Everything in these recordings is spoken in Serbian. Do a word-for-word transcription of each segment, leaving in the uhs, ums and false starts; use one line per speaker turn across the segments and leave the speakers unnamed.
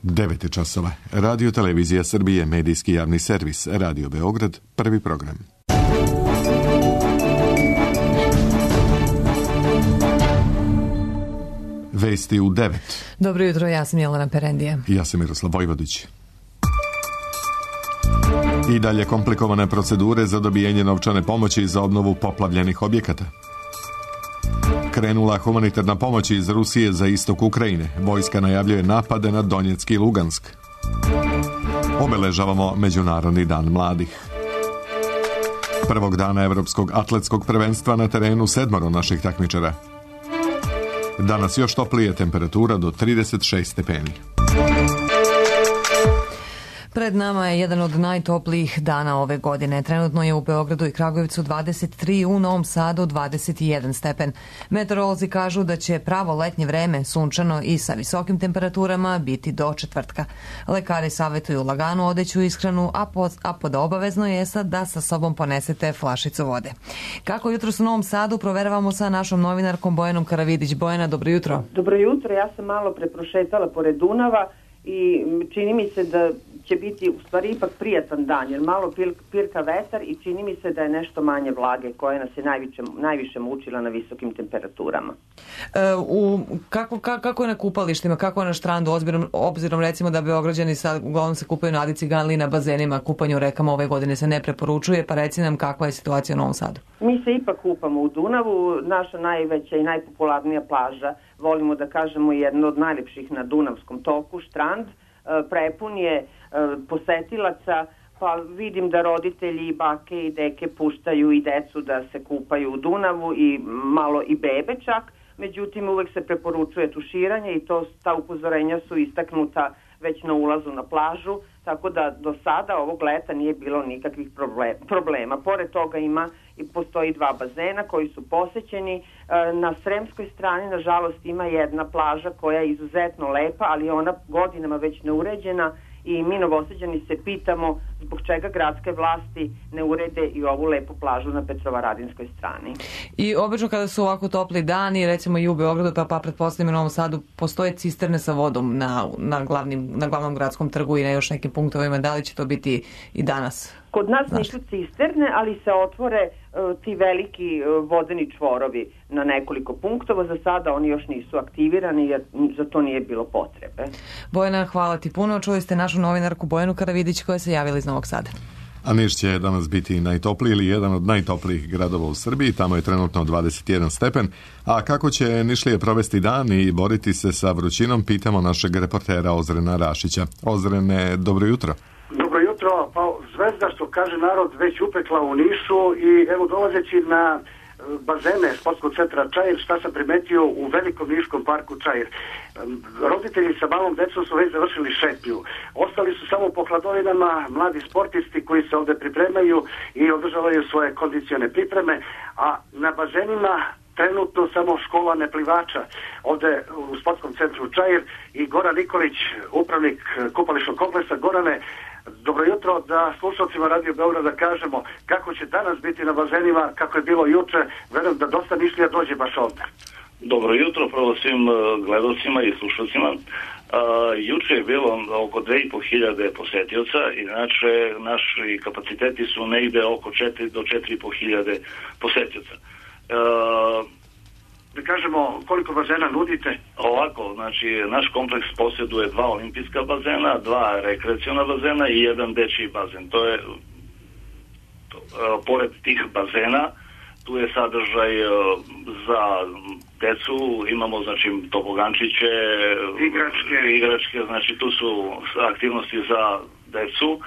devet je časova. Radio Televizija Srbije, medijski javni servis, Radio Beograd, prvi program. Vesti u devet.
Dobro jutro, ja sam Jelena Perendija.
Ja sam Miroslav Vojvodić. I dalje komplikovane procedure za dobijanje novčane pomoći za obnovu poplavljenih objekata. Krenula humanitarna pomoć iz Rusije za istok Ukrajine. Vojska najavljuje napade na Donjeck i Lugansk. Obeležavamo Međunarodni dan mladih. Prvog dana Evropskog atletskog prvenstva na terenu sedmoro naših takmičara. Danas još toplije, temperatura do trideset šest stepeni.
Pred nama je jedan od najtoplijih dana ove godine. Trenutno je u Beogradu i Kragujevcu dvadeset tri, u Novom Sadu dvadeset jedan stepen. Meteorolozi kažu da će pravo letnje vreme, sunčano i sa visokim temperaturama, biti do četvrtka. Lekari savjetuju laganu odeću ishranu, a pod, a pod obavezno je sad da sa sobom ponesete flašicu vode. Kako jutros u Novom Sadu proveravamo sa našom novinarkom Bojanom Karavidić. Bojana, dobro jutro.
Dobro jutro, ja sam malo preprošetala pored Dunava i čini mi se da će biti u stvari ipak prijatan dan, jer malo pirka vetar i čini mi se da je nešto manje vlage koja nas je najviše, najviše mučila na visokim temperaturama.
E, u, kako, kako, kako je na kupalištima, kako je na štrandu, obzirom, obzirom recimo da Beograđani sad uglavnom se kupaju na Adi Ciganliji, na bazenima, kupanje u rekama ove godine se ne preporučuje, pa reci nam kakva je situacija u Novom Sadu.
Mi se ipak kupamo u Dunavu, naša najveća i najpopularnija plaža, volimo da kažemo jedna od najljepših na Dunavskom toku, štrand, prepun je posetilaca, pa vidim da roditelji i bake i deke puštaju i decu da se kupaju u Dunavu i malo i bebe čak, međutim uvek se preporučuje tuširanje i to, ta upozorenja su istaknuta već na ulazu na plažu, tako da do sada ovog leta nije bilo nikakvih problema. Pored toga ima i postoji dva bazena koji su posećeni. Na Sremskoj strani, nažalost, ima jedna plaža koja je izuzetno lepa, ali ona godinama već neuređena i mi Novosađani se pitamo zbog čega gradske vlasti ne urede i ovu lepu plažu na Petrovaradinskoj strani.
I obično kada su ovako topli dani, recimo i u Beogradu, pa, pa pretpostavljam i u Novom Sadu, postoje cisterne sa vodom na, na, glavnim, na glavnom gradskom trgu i na još nekim punktovima. Da li će to biti i danas?
Kod nas nisu cisterne, ali se otvore uh, ti veliki uh, vodeni čvorovi na nekoliko punktova. Za sada oni još nisu aktivirani jer za to nije bilo potrebe.
Bojana, hvala ti puno. Čuli ste našu novinarku Bojanu Karavidić koja se javila iz Novog Sada.
A Niš će danas biti najtopliji ili jedan od najtoplijih gradova u Srbiji. Tamo je trenutno dvadeset jedan stepen. A kako će Nišlije provesti dan i boriti se sa vrućinom, pitamo našeg reportera Ozrena Rašića. Ozrene, dobro jutro.
Dobro jutro, pa zvezda što kaže narod već upekla u Nišu i evo dolazeći na bazene sportskog centra Čair, šta sam primetio u velikom niškom parku Čair. Roditelji sa malom decom su već završili šetnju. Ostali su samo po hladovinama mladi sportisti koji se ovde pripremaju i održavaju svoje kondicione pripreme, a na bazenima trenutno samo škola neplivača ovde u sportskom centru Čair i Goran Nikolić, upravnik kupališnog kompleksa. Gorane, dobro jutro, da slušalcima Radio Beograda kažemo kako će danas biti na bazenima, kako je bilo juče, verujem da dosta Nišlija dođe baš ovde.
Dobro jutro prvo svim gledalcima i slušalcima. Uh, juče je bilo oko dve i po hiljade posetioca, inače naši kapaciteti su negde oko četiri do četiri i po hiljade posetioca. Uh,
da kažemo koliko bazena nudite?
Ovako, znači naš kompleks posjeduje dva olimpijska bazena, dva rekreaciona bazena i jedan dečiji bazen. To je to, uh, pored tih bazena tu je sadržaj uh, za decu, imamo znači tobogančiće,
igračke,
igračke, znači tu su aktivnosti za decu,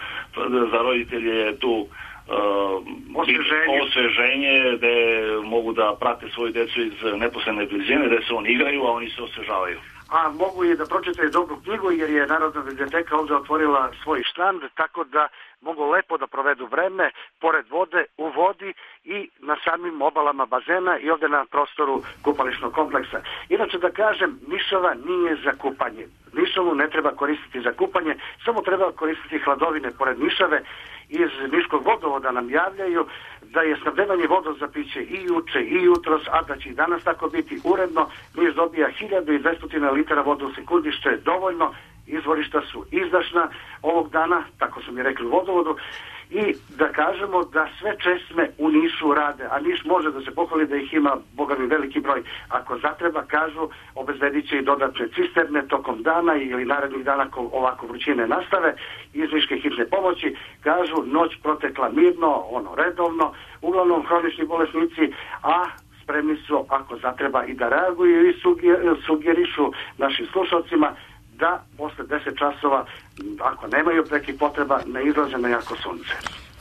za roditelje je tu Uh, osveženje. osveženje gde mogu da prate svoju decu iz neposredne blizine, gde se oni igraju, a oni se osvežavaju.
A mogu i da pročitaju dobru knjigu jer je Narodna biblioteka ovde otvorila svoj štand, tako da mogu lepo da provedu vreme pored vode, u vodi i na samim obalama bazena i ovde na prostoru kupališnog kompleksa. Inače da kažem, Nišava nije za kupanje. Nišavu ne treba koristiti za kupanje, samo treba koristiti hladovine pored Nišave. Iz Niškog vodovoda nam javljaju da je snabdevanje vodom za piće i juče i jutros, a da će i danas tako biti uredno. Niš dobija hiljadu dvesta litara vode u sekundi, što je dovoljno izvorišta su izdašna ovog dana, tako su mi rekli u vodovodu, i da kažemo da sve česme u Nišu rade, a Niš može da se pohvali da ih ima, boga mi, veliki broj. Ako zatreba, kažu, obezbedit će i dodatne cisterne tokom dana ili narednih dana ako ovako vrućine nastave. Iz Niške hitne pomoći kažu, noć protekla mirno, ono redovno, uglavnom hronični bolesnici, a spremni su ako zatreba i da reaguju i sugerišu našim slušalcima da posle deset časova, ako nemaju prekih potreba, ne izlaze na jako sunce.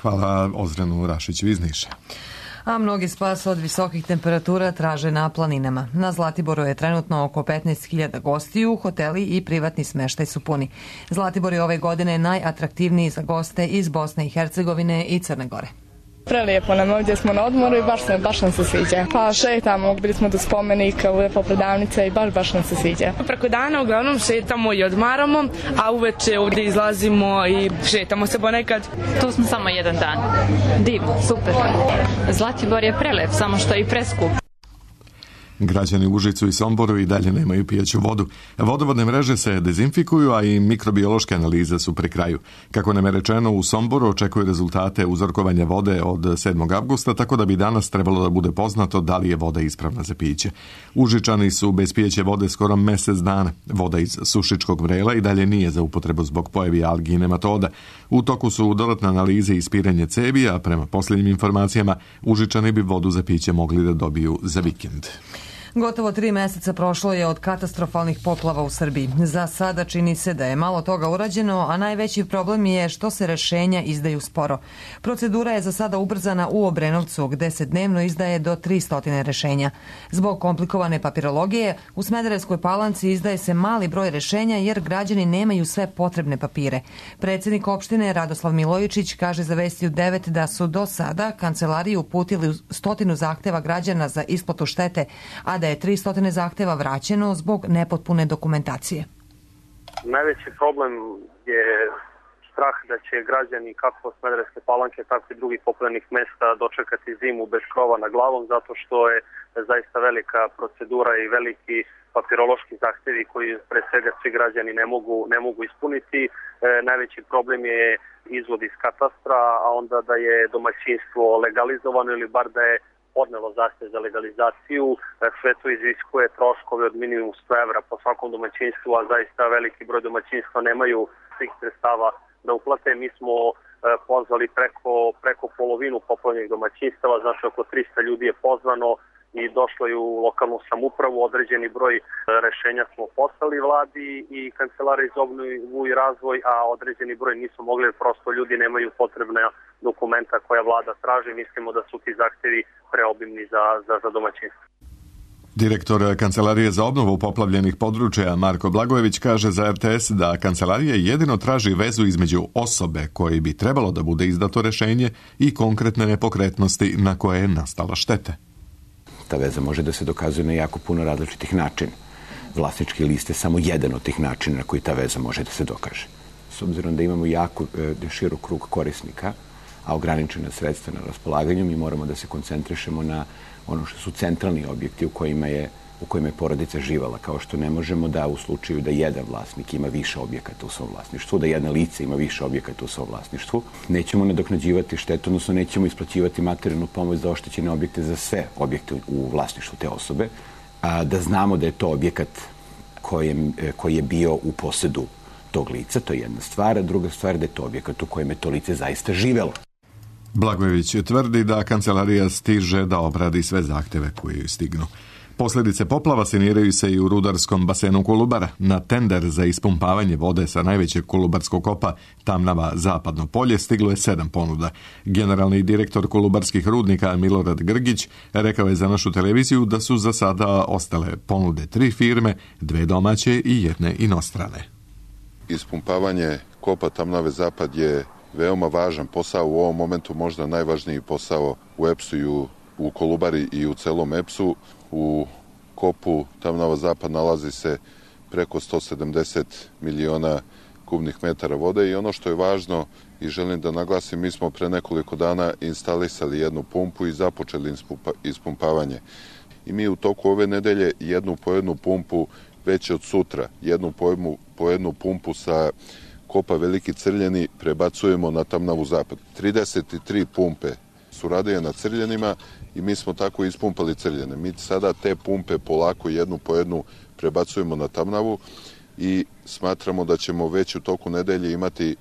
Hvala Ozrenu Rašiću iz Niša.
A mnogi spas od visokih temperatura traže na planinama. Na Zlatiboru je trenutno oko petnaest hiljada gostiju, hoteli i privatni smeštaj su puni. Zlatibor je ove godine najatraktivniji za goste iz Bosne i Hercegovine i Crne Gore.
Prelijepo nam ovdje, smo na odmoru i baš, se, baš nam se sviđa. Pa šetamo, bili smo do spomenika, uvepo prodavnice i baš, baš nam se sviđa.
Preko dana uglavnom šetamo i odmaramo, a uveče ovdje izlazimo i šetamo se ponekad.
Tu smo samo jedan dan. Divno, super. Zlatibor je prelep, samo što je i preskup.
Građani u Užicu i Somboru i dalje nemaju pijaću vodu. Vodovodne mreže se dezinfikuju, a i mikrobiološke analize su pri kraju. Kako nam je rečeno, u Somboru očekuju rezultate uzorkovanja vode od sedmog avgusta, tako da bi danas trebalo da bude poznato da li je voda ispravna za piće. Užičani su bez pijeće vode skoro mjesec dana. Voda iz Sušičkog vrela i dalje nije za upotrebu zbog pojavi algi i nematoda. U toku su dodatne analize i ispiranje cevi, a prema posljednjim informacijama Užičani bi vodu za piće mogli da dobiju za vikend.
Gotovo tri meseca prošlo je od katastrofalnih poplava u Srbiji. Za sada čini se da je malo toga urađeno, a najveći problem je što se rešenja izdaju sporo. Procedura je za sada ubrzana u Obrenovcu, gde se dnevno izdaje do tristo rešenja. Zbog komplikovane papirologije, u Smederevskoj Palanci izdaje se mali broj rešenja jer građani nemaju sve potrebne papire. Predsjednik opštine Radoslav Milojičić kaže za Vesti u devet da su do sada kancelariji uputili stotinu zahteva građana za isplatu štete, a da je tristo zahteva vraćeno zbog nepotpune dokumentacije.
Najveći problem je strah da će građani kako Smederevske Palanke, tako i drugih poplavljenih mesta dočekati zimu bez krova na glavom, zato što je zaista velika procedura i veliki papirološki zahtevi koji pre svega svi građani ne mogu, ne mogu ispuniti. E, najveći problem je izvod iz katastra, a onda da je domaćinstvo legalizovano ili bar da je podnelo zahtev za legalizaciju. Sve to iziskuje troškove od minimum sto evra po svakom domaćinstvu, a zaista veliki broj domaćinstva nemaju svih sredstava da uplate. Mi smo pozvali preko, preko polovinu poplavljenih domaćinstava, znači oko tristo ljudi je pozvano i došlo je u lokalnu samoupravu. Određeni broj rešenja smo poslali vladi i Kancelariji za obnovu i razvoj, a određeni broj nisu mogli, prosto ljudi nemaju potrebna dokumenta koja vlada traži. Mislimo da su ti zahtevi preobimni za, za, za domaćinstvo.
Direktor Kancelarije za obnovu poplavljenih područja Marko Blagojević kaže za R T S da Kancelarija jedino traži vezu između osobe koji bi trebalo da bude izdato rešenje i konkretne nepokretnosti na koje je nastala štete.
Ta veza može da se dokazuje na jako puno različitih načina. Vlasnički list je samo jedan od tih načina na koji ta veza može da se dokaže. S obzirom da imamo jako e, širok krug korisnika, a ograničena sredstva na raspolaganju, mi moramo da se koncentrišemo na ono što su centralni objekti u kojima je u kojima je porodica živala, kao što ne možemo da u slučaju da jedan vlasnik ima više objekata u svom vlasništvu, da jedna lice ima više objekata u svom vlasništvu, nećemo nadoknađivati štetu, odnosno nećemo isplaćivati materijalnu pomoć za oštećene objekte za sve objekte u vlasništvu te osobe, a da znamo da je to objekat kojem, koji je bio u posedu tog lica, to je jedna stvar, a druga stvar da je to objekat u kojem je to lice zaista živelo.
Blagojević tvrdi da kancelarija stiže da obradi sve zahteve koji stignu. Posljedice poplava saniraju se i u rudarskom basenu Kolubara. Na tender za ispumpavanje vode sa najvećeg kolubarskog kopa Tamnava Zapadno polje stiglo je sedam ponuda. Generalni direktor kolubarskih rudnika Milorad Grgić rekao je za našu televiziju da su za sada ostale ponude tri firme, dve domaće i jedne inostrane.
Ispumpavanje kopa Tamnave Zapad je veoma važan posao, u ovom momentu možda najvažniji posao u E P S-u i u, u Kolubari i u celom E P S-u. U kopu Tamnava Zapad nalazi se preko sto sedamdeset miliona kubnih metara vode i ono što je važno i želim da naglasim, mi smo pre nekoliko dana instalisali jednu pumpu i započeli ispumpavanje. I mi u toku ove nedelje jednu po jednu pumpu već od sutra jednu po jednu, po jednu pumpu sa kopa Veliki Crljeni prebacujemo na Tamnavu zapad. trideset tri pumpe su radije na Crljenima i mi smo tako ispumpali Crljene. Mi sada te pumpe polako jednu po jednu prebacujemo na Tamnavu i smatramo da ćemo već u toku nedelje imati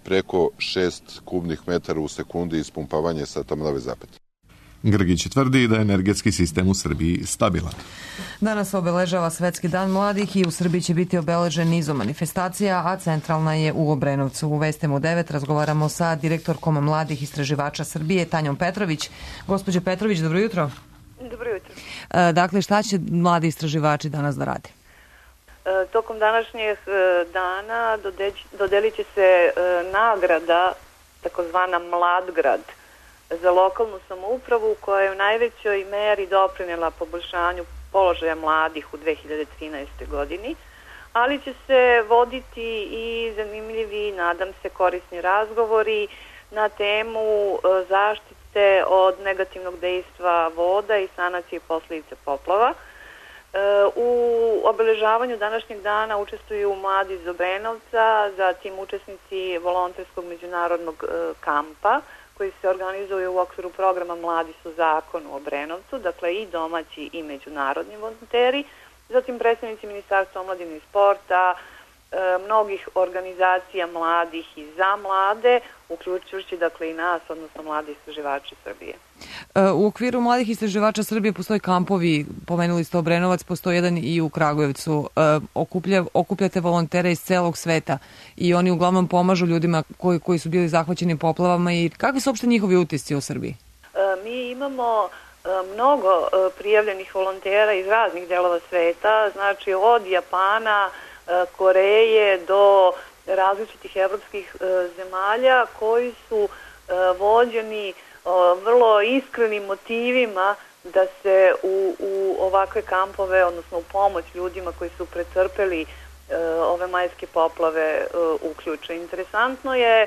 preko šest kubnih metara u sekundi ispumpavanje sa Tamnave zapad.
Grgić tvrdi da je energetski sistem u Srbiji stabilan.
Danas obeležava Svetski dan mladih i u Srbiji će biti obeležen nizom manifestacija, a centralna je u Obrenovcu. U Vestem u devet razgovaramo sa direktorkom mladih istraživača Srbije, Tanjom Petrović. Gospođo Petrović, dobro jutro.
Dobro jutro.
Dakle, šta će mladi istraživači danas da rade?
Tokom današnjeg dana dodelit će se nagrada, takozvana Mladgrad, za lokalnu samoupravu koja je u najvećoj meri doprinela poboljšanju položaja mladih u dve hiljade trinaestoj. godini, ali će se voditi i zanimljivi, nadam se, korisni razgovori na temu zaštite od negativnog dejstva voda i sanacije posljedice poplava. U obeležavanju današnjeg dana učestvuju mladi iz Obrenovca, zatim učesnici volonterskog međunarodnog kampa koji se organizuju u okviru programa Mladi su zakon u Obrenovcu, dakle i domaći i međunarodni volonteri, zatim predstavnici Ministarstva omladine i sporta, mnogih organizacija mladih i za mlade, uključujući dakle i nas, odnosno mladi istraživači Srbije.
U okviru mladih istraživača Srbije postoje kampovi, pomenuli ste Obrenovac, postoji jedan i u Kragujevcu. Okuplja, okupljate volontere iz celog sveta i oni uglavnom pomažu ljudima koji, koji su bili zahvaćeni poplavama i kakvi su uopšte njihovi utisci u Srbiji?
Mi imamo mnogo prijavljenih volontera iz raznih delova sveta, znači od Japana, Koreje do različitih evropskih zemalja koji su vođeni vrlo iskrenim motivima da se u, u ovakve kampove, odnosno u pomoć ljudima koji su pretrpeli ove majske poplave uključe. Interesantno je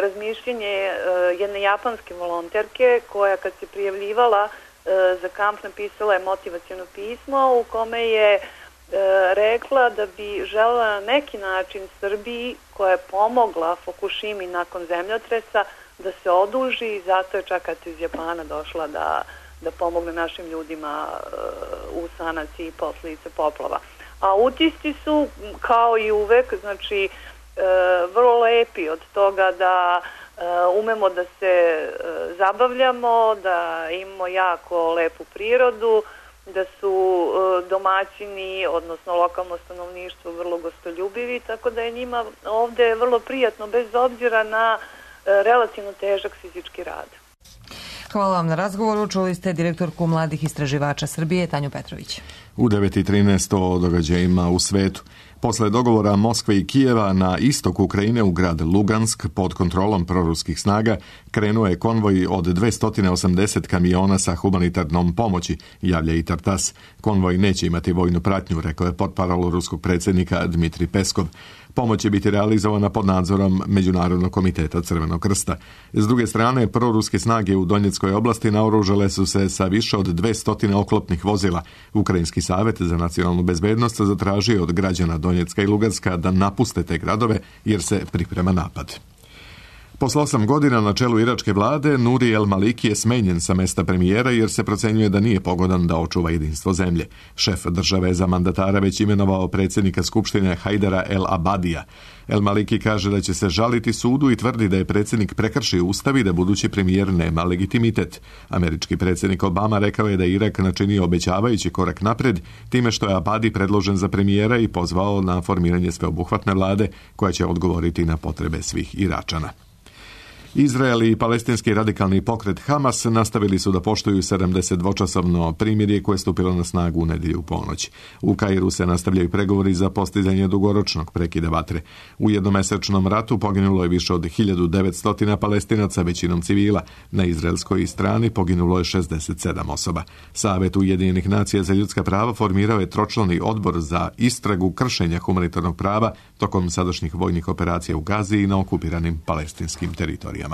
razmišljenje jedne japanske volonterke koja kad se prijavljivala za kamp napisala je motivaciono pismo u kome je rekla da bi želela na neki način Srbiji, koja je pomogla Fukushimi nakon zemljotresa, da se oduži i zato je čak kad iz Japana došla da, da pomogne našim ljudima uh, u sanaciji posljedice poplava. A utisci su, kao i uvek, znači uh, vrlo lepi od toga da uh, umemo da se uh, zabavljamo, da imamo jako lepu prirodu, da su uh, domaćini, odnosno lokalno stanovništvo vrlo gostoljubivi, tako da je njima ovde vrlo prijatno bez obzira na relativno težak fizički rad.
Hvala vam na razgovoru. Čuli ste direktorku mladih istraživača Srbije, Tanju Petrović.
U devet i trinaest o događajima u svetu. Posle dogovora Moskve i Kijeva na istok Ukrajine u grad Lugansk pod kontrolom proruskih snaga krenuo je konvoj od dvesta osamdeset kamiona sa humanitarnom pomoći, javlja i Tartas. Konvoj neće imati vojnu pratnju, rekao je portparol ruskog predsjednika Dmitrij Peskov. Pomoć će biti realizovana pod nadzorom Međunarodnog komiteta Crvenog krsta. S druge strane, proruske snage u Donjeckoj oblasti naoružale su se sa više od dvesta oklopnih vozila. Ukrajinski savjet za nacionalnu bezbednost zatražio od građana Donjecka i Luganska da napuste te gradove jer se priprema napad. Posle osam godina na čelu iračke vlade, Nuri El Maliki je smenjen sa mesta premijera jer se procenjuje da nije pogodan da očuva jedinstvo zemlje. Šef države za mandatara već imenovao predsjednika Skupštine Hajdara El Abadija. El Maliki kaže da će se žaliti sudu i tvrdi da je predsjednik prekršio ustav i da budući premijer nema legitimitet. Američki predsjednik Obama rekao je da je Irak načinio obećavajući korak napred time što je Abadi predložen za premijera i pozvao na formiranje sveobuhvatne vlade koja će odgovoriti na potrebe svih Iračana. Izrael i palestinski radikalni pokret Hamas nastavili su da poštuju sedamdesetdvočasovno primirje koje je stupilo na snagu u nedjelju u ponoć. U Kairu se nastavljaju pregovori za postizanje dugoročnog prekida vatre. U jednomesečnom ratu poginulo je više od hiljadu devetsto Palestinaca, većinom civila. Na izraelskoj strani poginulo je šezdeset sedam osoba. Savet Ujedinjenih nacija za ljudska prava formirao je tročlani odbor za istragu kršenja humanitarnog prava tokom sadašnjih vojnih operacija u Gazi i na okupiranim palestinskim teritorijama.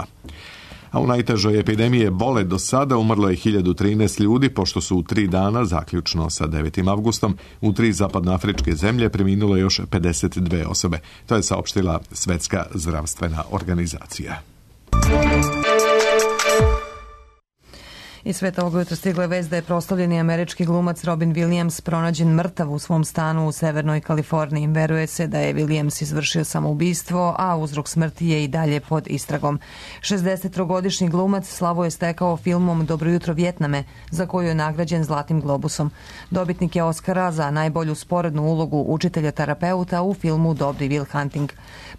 A u najtežoj epidemiji ebole do sada umrlo je hiljadu trinaest ljudi, pošto su u tri dana, zaključno sa devetim avgustom, u tri zapadnoafričke zemlje preminulo još pedeset dve osobe. To je saopštila Svetska zdravstvena organizacija.
Iz sveta ovog jutra stigla je vest da je proslavljeni američki glumac Robin Williams pronađen mrtav u svom stanu u Severnoj Kaliforniji. Veruje se da je Williams izvršio samoubistvo, a uzrok smrti je i dalje pod istragom. šezdesettrogodišnji glumac slavu je stekao filmom Dobro jutro Vjetname, za koju je nagrađen Zlatnim globusom. Dobitnik je Oskara za najbolju sporednu ulogu učitelja terapeuta u filmu Dobri Will Hunting.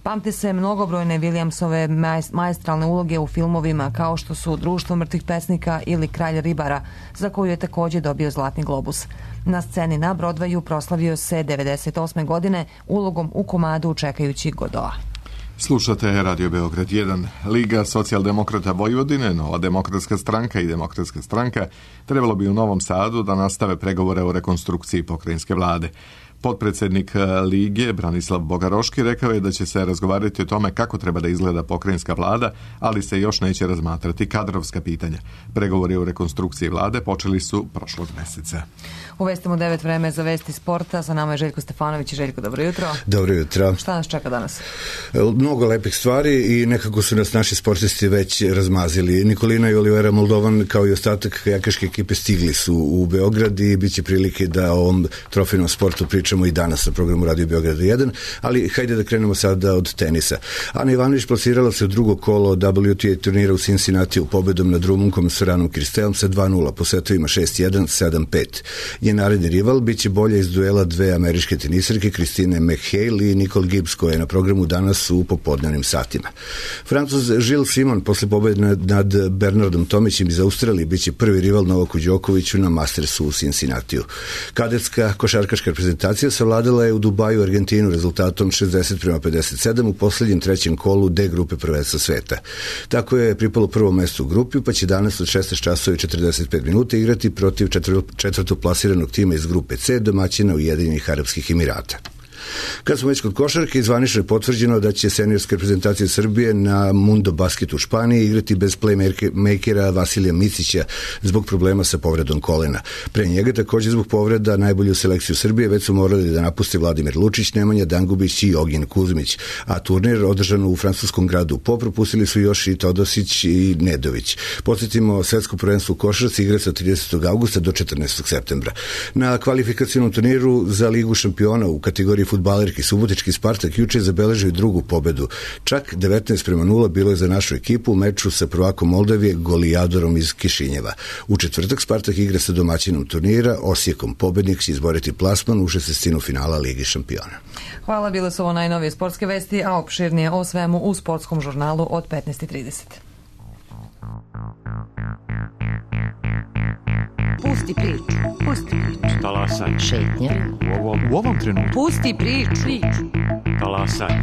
Pamte se mnogobrojne Williamsove maestralne uloge u filmovima kao što su Društvo mrtvih pesnika ili Kralj ribara, za koju je također dobio Zlatni globus. Na sceni na Broadwayu proslavio se devedeset osme godine ulogom u komadu Čekajući Godoa.
Slušate Radio Beograd jedan. Liga socijaldemokrata Vojvodine, Nova demokratska stranka i Demokratska stranka trebalo bi u Novom Sadu da nastave pregovore o rekonstrukciji pokrajinske vlade. Potpredsjednik Lige Branislav Bogaroški rekao je da će se razgovarati o tome kako treba da izgleda pokrajinska vlada, ali se još neće razmatrati kadrovska pitanja. Pregovori o rekonstrukciji vlade počeli su prošlog mjeseca.
U vestima devet vreme za vesti sporta. Sa nama je Željko Stefanović. I Željko, dobro jutro.
Dobro jutro.
Šta nas čeka danas?
Mnogo lepih stvari i nekako su nas naši sportisti već razmazili. Nikolina i Olivera Moldovan kao i ostatak kajakaške ekipe stigli su u Beograd i bit će prilike da o ovom trofejnom sportu pričamo i danas na programu Radio Beograd jedan, ali hajde da krenemo sada od tenisa. Ana Ivanović plasirala se u drugo kolo W T A turnira u Cincinnati u pobedom nad Rumunkom Soranom Kristelom sa dva nula po setovima šest jedan, sedam pet. Njen naredni rival biće bolja iz duela dve američke tenisarke Kristine McHale i Nicole Gibbs, koja je na programu danas u popodnevnim satima. Francuz Gilles Simon posle pobede nad Bernardom Tomićem iz Australije biće prvi rival Novaku Đokoviću na Mastersu u Cincinnatiju. Kadetska košarkaška reprezentacija savladala je u Dubaju Argentinu rezultatom šezdeset prema pedeset sedam u posljednjem trećem kolu D grupe prvenstva sveta. Tako je pripalo prvo mesto u grupi, pa će danas od šesnaest časova i četrdeset pet minuta igrati protiv četvrtoplasiranog tima iz grupe C, domaćina Ujedinjenih Arapskih Emirata. Kad smo već kod košarke, zvanično je potvrđeno da će seniorska reprezentacija Srbije na Mundo Basketu u Španiji igrati bez playmakera Vasilija Micića zbog problema sa povredom kolena. Pre njega također zbog povreda najbolju selekciju Srbije već su morali da napuste Vladimir Lučić, Nemanja Dangubić i Ogin Kuzmić, a turnir održan u francuskom gradu Po propustili su još i Todosić i Nedović. Podsjetimo, svetsko prvenstvo u košarci igra se od tridesetog avgusta do četrnaestog septembra. Na kvalifikacionom turniru za Ligu šampiona u kategoriji fudbalerki Subotički Spartak juče zabeležio drugu pobedu. Čak devetnaest prema nula bilo je za našu ekipu u meču sa prvakom Moldavije Golijadorom iz Kišinjeva. U četvrtak Spartak igra sa domaćinom turnira Osijekom. Pobednik će izboriti plasman u šestnaestinu finala Ligi šampiona.
Hvala, bile su ovo najnovije sportske vesti, a opširnije o svemu u sportskom žurnalu od petnaest i trideset.
Pusti priču, pusti priču.
Talasaj.
Šetnja.
U ovom, u ovom trenutku.
Pusti priču.
Talasaj.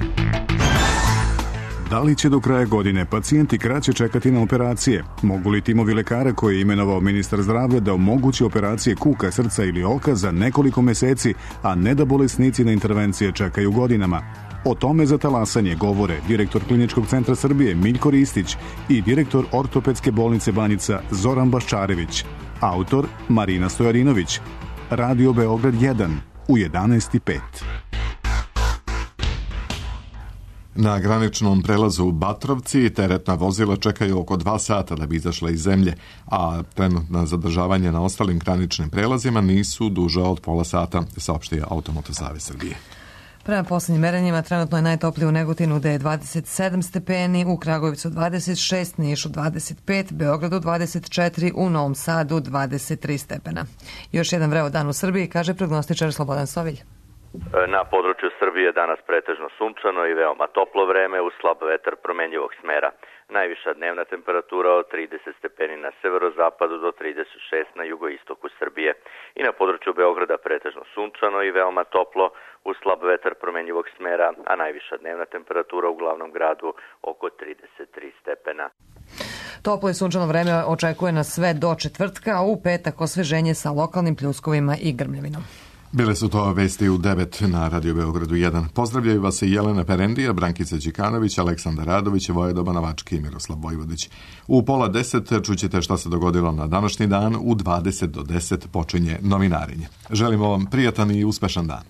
Da li će do kraja godine pacijenti kraće čekati na operacije? Mogu li timovi lekara koje je imenovao ministar zdravlja da omogući operacije kuka, srca ili oka za nekoliko meseci, a ne da bolesnici na intervencije čekaju godinama? O tome za talasanje govore direktor Kliničkog centra Srbije Miljko Ristić i direktor Ortopedske bolnice Banjica Zoran Baščarević. Autor Marina Stojarinović. Radio Beograd jedan u jedanaest i pet.
Na graničnom prelazu u Batrovci teretna vozila čekaju oko dva sata da bi izašla iz zemlje, a trenutna zadržavanja na ostalim graničnim prelazima nisu duža od pola sata, saopštio Automoto Savez Srbije.
Prema posljednjim merenjima trenutno je najtoplije u Negotinu gde je dvadeset sedam stepeni, u Kragujevcu dvadeset šest, Nišu dvadeset pet, Beogradu dvadeset četiri, u Novom Sadu dvadeset tri stepena. Još jedan vreo dan u Srbiji, kaže prognostičar Slobodan Sovilj.
Na području Srbije danas pretežno sunčano i veoma toplo vreme uz slab vetar promenjivog smera. Najviša dnevna temperatura od trideset stepeni na severozapadu do trideset šest na jugoistoku Srbije. I na području Beograda pretežno sunčano i veoma toplo uz slab vetar promenjivog smera, a najviša dnevna temperatura u glavnom gradu oko trideset tri stepena.
Toplo i sunčano vreme očekuje nas sve do četvrtka, a u petak osveženje sa lokalnim pljuskovima i grmljavinom.
Bile su to vesti u devet na Radio Beogradu jedan. Pozdravljaju vas i Jelena Perendija, Brankica Đikanović, Aleksandar Radović, Vojedoba Navački i Miroslav Vojvodić. U pola deset čućete šta se dogodilo na današnji dan, u dvadeset do deset počinje novinarenje. Želimo vam prijatan i uspešan dan.